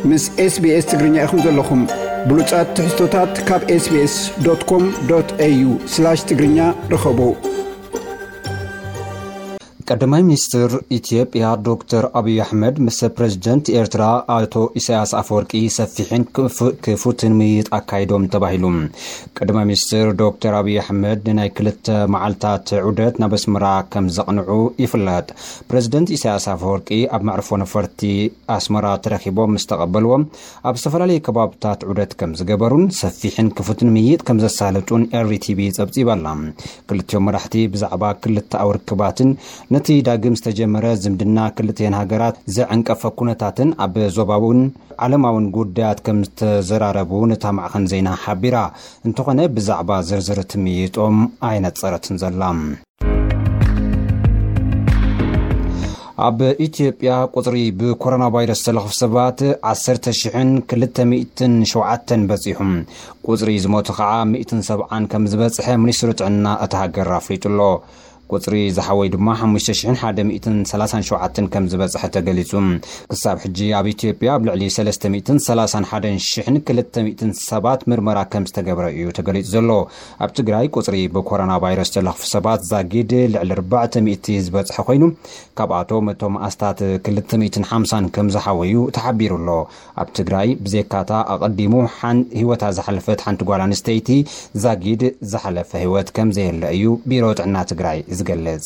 ምስ SBS ትግርኛ ኢኹም ዘለኹም። ብሉጻት ትሕዝቶታት ካብ SBS.com.au/ትግርኛ ርኸቡ። ቀዳማይ ሚኒስትር ኢትዮጵያ ዶክተር ኣብይ ኣሕመድ ምስ ፕሬዝደንት ኤርትራ ኣቶ ኢሳያስ ኣፈወርቂ ሰፊሕን ክፉ-፣ ክፉትን ምይይጥ ኣካይዶም ተባሂሉ። ቀዳማይ ሚኒስትር ዶክተር ኣብይ ኣሕመድ ንናይ ክልተ መዓልታት ዑደት ናብ ኣስመራ ከም ዘቕንዑ ይፍለጥ። ፕሬዝደንት ኢሳያስ ኣፈወርቂ ኣብ መዕርፎ ነፈርቲ ኣስመራ ተረኺቦም ምስ ተቐበልዎም፣ ኣብ ዝተፈላለዩ ከባብታት ዑደት ከም ዝገበሩን ሰፊሕን ክፉትን ምይይጥ ከም ዘሳለጡን RTB ጸብጺባ ኣላ። ክልቲኦም መራሕቲ ብዛዕባ ክልተኣዊ ርክባትን ነቲ ዳግም ዝተጀመረ ዝምድና ክልቲኤን ሃገራት ዘዕንቀፈ ኩነታትን ኣብ ዞባውን ዓለማውን ጉዳያት ከም ዝተዘራረቡ ነታ ማዕኸን ዜና ሓቢራ። እንተኾነ ብዛዕባ ዝርዝር እቲ ምይይጦም ኣይነጸረትን ዘላ። ኣብ ኢትዮጵያ ቁጽሪ ብኮሮና ቫይረስ ዝተለኽፉ ሰባት ዓሰርተ ሽሕን ክልተ ሚእትን ሸውዓተን በጺሑ። ቁጽሪ ዝሞቱ ኸዓ ሚእትን ሰብዓን ከም ዝበጽሐ ሚኒስትሪ ጥዕና እታ ሃገር ኣፍሊጡ ኣሎ። ቁጽሪ ዝሓወዩ ድማ ሓሙሽተ ሽሕን ሓደ ሚእትን ሰላሳን ሸውዓተን ከም ዝበጽሐ ተገሊጹ። ክሳብ ሕጂ ኣብ ኢትዮጵያ ኣብ ልዕሊ ሰለስተ ሚእትን ሰላሳን ሓደን ሽሕን ክልተ ሚእትን ሰባት ምርመራ ከም ዝተገብረ እዩ ተገሊጹ ዘሎ። ኣብ ትግራይ ቁጽሪ ብኮሮና ቫይረስ ዝተለኽፉ ሰባት ዛጊድ ልዕሊ ኣርባዕተ ሚእቲ ዝበጽሐ ኮይኑ፣ ካብኣቶም እቶም ኣስታት ክልተ ሚእትን ሓምሳን ከም ዝሓወዩ ተሓቢሩ ኣሎ። ኣብ ትግራይ ብዘይካታ ኣቐዲሙ ሓን-፣ ህይወታ ዝሓለፈት ሓንቲ ጓል ኣንስተይቲ ዛጊድ ዝሓለፈ ህይወት ከም ዘየለ እዩ ቢሮ ጥዕና ትግራይ ዝገልጽ።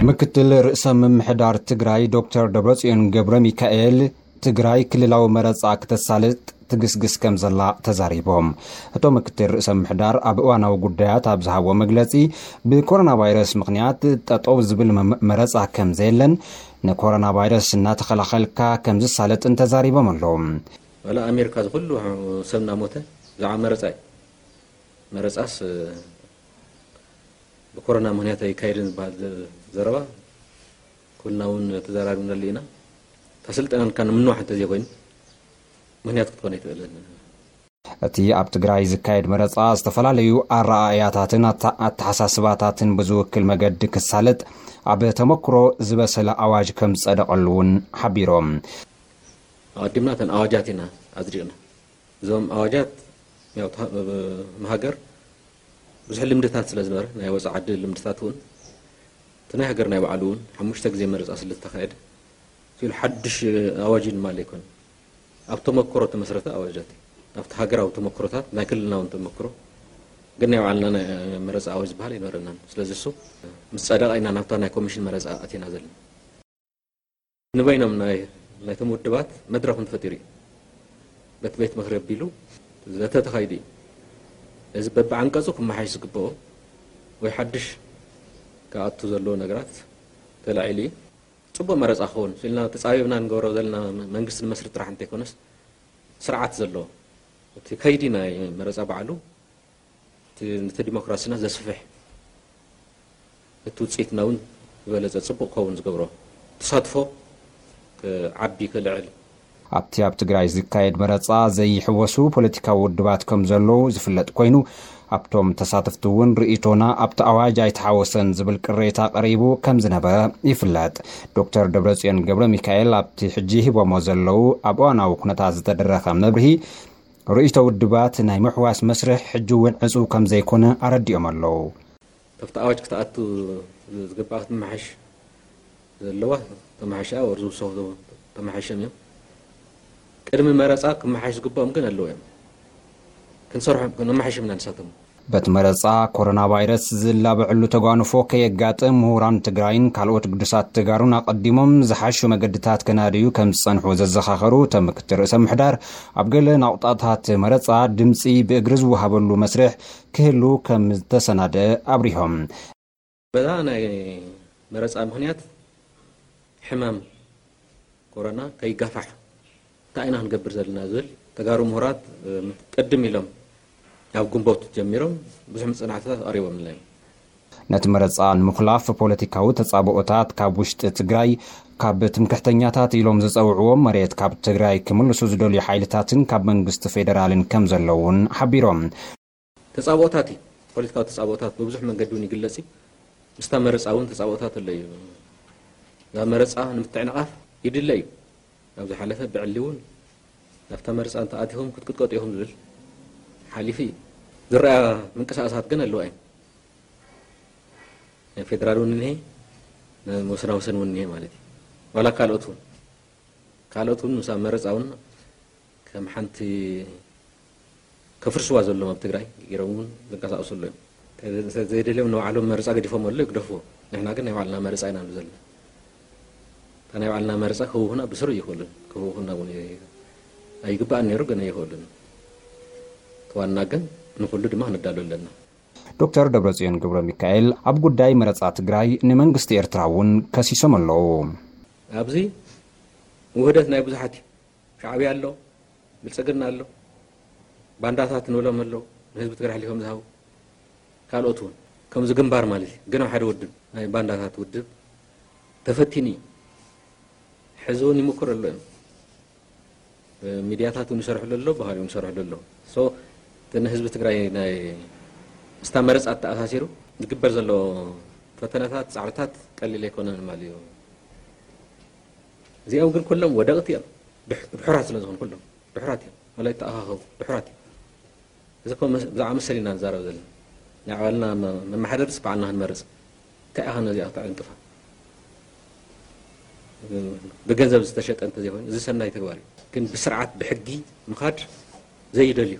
ምክትል ርእሰ ምምሕዳር ትግራይ ዶክተር ደብረጽዮን ገብረ ሚካኤል፣ ትግራይ ክልላዊ መረጻ ክተሳልጥ ትግስግስ ከም ዘላ ተዛሪቦም። እቶም ምክትል ርእሰ ምምሕዳር ኣብ እዋናዊ ጉዳያት ኣብ ዝሃብዎ መግለጺ፣ ብኮሮና ቫይረስ ምኽንያት ጠጠው ዝብል መ-፣ መረጻ ከም ዘየለን፣ ንኮሮና ቫይረስ እናተኸላኸልካ ከም ዝሳለጥን ተዛሪቦም ኣለዉ። ዋላ ኣሜሪካ ዝኹሉ ሰብ እናሞተ ብዛዕባ መረጻ እዩ። መረጻስ፣ እ፣ ብኮሮና ምኽንያት ኣይካየድን ዝበሃል ዘ-፣ ዘረባ ኩልና እውን ተዘራሪብናሉ ኢና። ተሰልጠናልካ ንምንዋሕ እንተዘይኮይኑ ምኽንያት ክትኮን ኣይትኽእልን። እቲ ኣብ ትግራይ ዝካየድ መረጻ ዝተፈላለዩ ኣረኣእያታትን ኣታ-፣ ኣተሓሳስባታትን ብዝውክል መገዲ ክሳለጥ ኣብ ተመክሮ ዝበሰለ ኣዋጅ ከም ዝጸደቐሉ እውን ሓቢሮም። ኣቐዲምና እተን ኣዋጃት ኢና ኣጽዲቕና። እዞም ኣዋጃት ያው ታ-፣ ብ-፣ ብ-፣ ሃገር ብዙሕ ልምድታት ስለ ዝነበረ፣ ናይ ወጻኢ ዓዲ ልምድታት እውን፣ እቲ ናይ ሃገር ናይ ባዕሉ እውን ሓሙሽተ ግዜ መረጻ ስለ ዝተኻየደ፣ እቲ ኢሉ ሓድሽ ኣዋጅ እዩ ማለት ኣይኮነን። ኣብ ተመክሮ እተመስረተ ኣዋጃት እዩ። ኣብቲ ሃገራዊ ተመክሮታት፣ ናይ ክልልና እውን ተመክሮ፣ ግን ናይ ባዕልና ናይ መረጻ ኣዋጅ ዝበሃል ኣይነበረናን። ስለዚ እሱ ምስ ጸደቐ ኢና ናብታ ናይ ኮሚሽን መረጻ ኣቲና ዘለና። ንበይኖም ናይ፣ ናይቶም ውድባት መድረኽ እውን ተፈጢሩ እዩ። ቤት፣ ቤት ምኽሪ ኣቢሉ ዘተ ተኻይዱ እዩ። እዚ በብዓንቀጹ ክመሓሽ ዝግብኦ ወይ ሓድሽ ክኣቱ ዘለዎ ነገራት ተላዒሉ እዩ። ጽቡቕ መረጻ ክኸውን ኢልና ተጻቢብና ንገብሮ ዘለና መንግስቲ ንመስርት ጥራሕ እንተይኮነስ፣ ስርዓት ዘለዎ እቲ ከይዲ ናይ መረጻ ባዕሉ እቲ፣ ነቲ ዲሞክራሲና ዘስፍሕ፣ እቲ ውጽኢትና እውን ዝበለጸ ጽቡቕ ክኸውን ዝገብሮ፣ ተሳትፎ ክዓቢ ክልዕል። ኣብቲ ኣብ ትግራይ ዝካየድ መረጻ ዘይሕወሱ ፖለቲካዊ ውድባት ከም ዘለዉ ዝፍለጥ ኮይኑ፣ ኣብቶም ተሳተፍቲ እውን ርእይቶና ኣብቲ ኣዋጅ ኣይተሓወሰን ዝብል ቅሬታ ቀሪቡ ከም ዝነበረ ይፍለጥ። ዶክተር ደብረጽዮን ገብረ ሚካኤል ኣብቲ ሕጂ ሂቦሞ ዘለዉ ኣብ እዋናዊ ኩነታት ዝተደረኸ መብርሂ፣ ርእይቶ ውድባት ናይ ምሕዋስ መስርሕ ሕጂ እውን ዕጹው ከም ዘይኮነ ኣረዲኦም ኣለዉ። ካብቲ ኣዋጅ ክትኣቱ ዝግባኣ ክትመሓሽ ዘለዋ ተመሓሻ ወር ዝውሰኹ ተመሓሽም እዮም። ቅድሚ መረጻ ክመሓሽ ዝግብኦም ግን ኣለዉ እዮም። ክንሰርሖም፣ ክንመሓሽም ኢና ንሳቶም። በቲ መረጻ ኮሮና ቫይረስ ዝላበዐሉ ተጓንፎ ከየጋጥም ምሁራን ትግራይን ካልኦት ግዱሳት ተጋሩን ኣቐዲሞም ዝሓሹ መገድታት ከናድዩ ከም ዝጸንሑ ዘዘኻኸሩ እቶም ምክትል ርእሰ ምሕዳር፣ ኣብ ገለ ናቑጣታት መረጻ ድምጺ ብእግሪ ዝወሃበሉ መስርሕ ክህሉ ከም ዝተሰናደ ኣብሪሆም። በዛ ናይ መረጻ ምኽንያት ሕማም ኮሮና ከይጋፋሕ እንታይ ኢና ክንገብር ዘለና ዝብል ተጋሩ ምሁራት፣ እ፣ ቅድም ኢሎም ኣብ ግንቦት ጀሚሮም ብዙሕ መጽናዕትታት ኣቕሪቦምልና እዮም። ነቲ መረጻ ንምኹላፍ ፖለቲካዊ ተጻብኦታት ካብ ውሽጢ ትግራይ፣ ካብ ትምክሕተኛታት ኢሎም ዝጸውዕዎም መሬት ካብ ትግራይ ክምልሱ ዝደልዩ ሓይልታትን ካብ መንግስቲ ፌደራልን ከም ዘለውን ሓቢሮም። ተጻብኦታት እዩ። ፖለቲካዊ ተጻብኦታት ብብዙሕ መንገዲ እውን ይግለጽ እዩ። ምስታ መረጻ እውን ተጻብኦታት ኣሎ እዩ። እዛ መረጻ ንምትዕንቓፍ ይድለ እዩ። ኣብ ዝሓለፈ ብዕሊ እውን ናብታ መርፃ እንተኣቲኹም ክትቅጥቀጡ ኢኹም ዝብል ሓሊፉ እዩ። ዝረኣ ምንቅስቃሳት ግን ኣለዋ እዩ። ናይ ፌደራል እውን እኒሄ፣ ናይ ወሰናወሰን እውን እኒሄ ማለት እዩ። ዋላ ካልኦት እውን ካልኦት እውን ምስ ኣብ መረፃ እውን ከም ሓንቲ ከፍርስዋ ዘለዎም ኣብ ትግራይ ገይሮም እውን ዝንቀሳቀሱ ኣለዉ እዮም። ዘይደልዮም ንባዕሎም መረፃ ገዲፎም ኣሎ ይግደፍዎ። ንሕና ግን ናይ ባዕልና መረፃ ኢና ንብል ዘለና። እታ ናይ ባዕልና መረፃ ክህውኹና ብስሩ ይኽእሉን ክህውኹና እውን ኣይግባእን ነይሩ፣ ግን ኣይኽእሉን። እቲ ዋና ግን ንኩሉ ድማ ክንዳሎ ኣለና። ዶክተር ደብረፅዮን ገብረ ሚካኤል ኣብ ጉዳይ መረፃ ትግራይ ንመንግስቲ ኤርትራ እውን ከሲሶም ኣለዉ። ኣብዚ ውህደት ናይ ብዙሓት እዩ። ሻዕብያ ኣሎ፣ ብልፅግና ኣሎ፣ ባንዳታት ንብሎም ኣለዉ፣ ንህዝቢ ትግራይ ሓሊፎም ዝሃቡ ካልኦት እውን ከምዚ ግንባር ማለት እዩ። ግን ኣብ ሓደ ውድብ ናይ ባንዳታት ውድብ ተፈቲኑ እዩ። ሕዚ እውን ይምክር ኣሎ እዮም። ሚድያታት እውን ይሰርሕሉ ኣሎ፣ ባህሪ እውን ይሰርሕሉ ኣሎ። ሶ እቲ ንህዝቢ ትግራይ ናይ ምስታ መረፃ ተኣሳሲሩ ዝግበር ዘሎ ፈተነታት ፃዕርታት ቀሊል ኣይኮነን ማለት እዩ። እዚኦም ግን ኩሎም ወደቕቲ እዮም። ድሑራት ስለ ዝኾኑ ኩሎም ድሑራት እዮም። ወላ ይተኣኻኸቡ ድሑራት እዮም። እዚ እኮ ብዛዕባ መሰል ኢና ንዛረብ ዘለና። ናይ ባዕልና መመሓደርስ ባዕልና ክንመርፅ እንታይ ኢኻ ነዚኣ ክተዕንቅፋ? ብገንዘብ ዝተሸጠ እንተዘይኮይኑ እዚ ሰናይ ተግባር እዩ። ግን ብስርዓት ብሕጊ ምኻድ ዘይደልዩ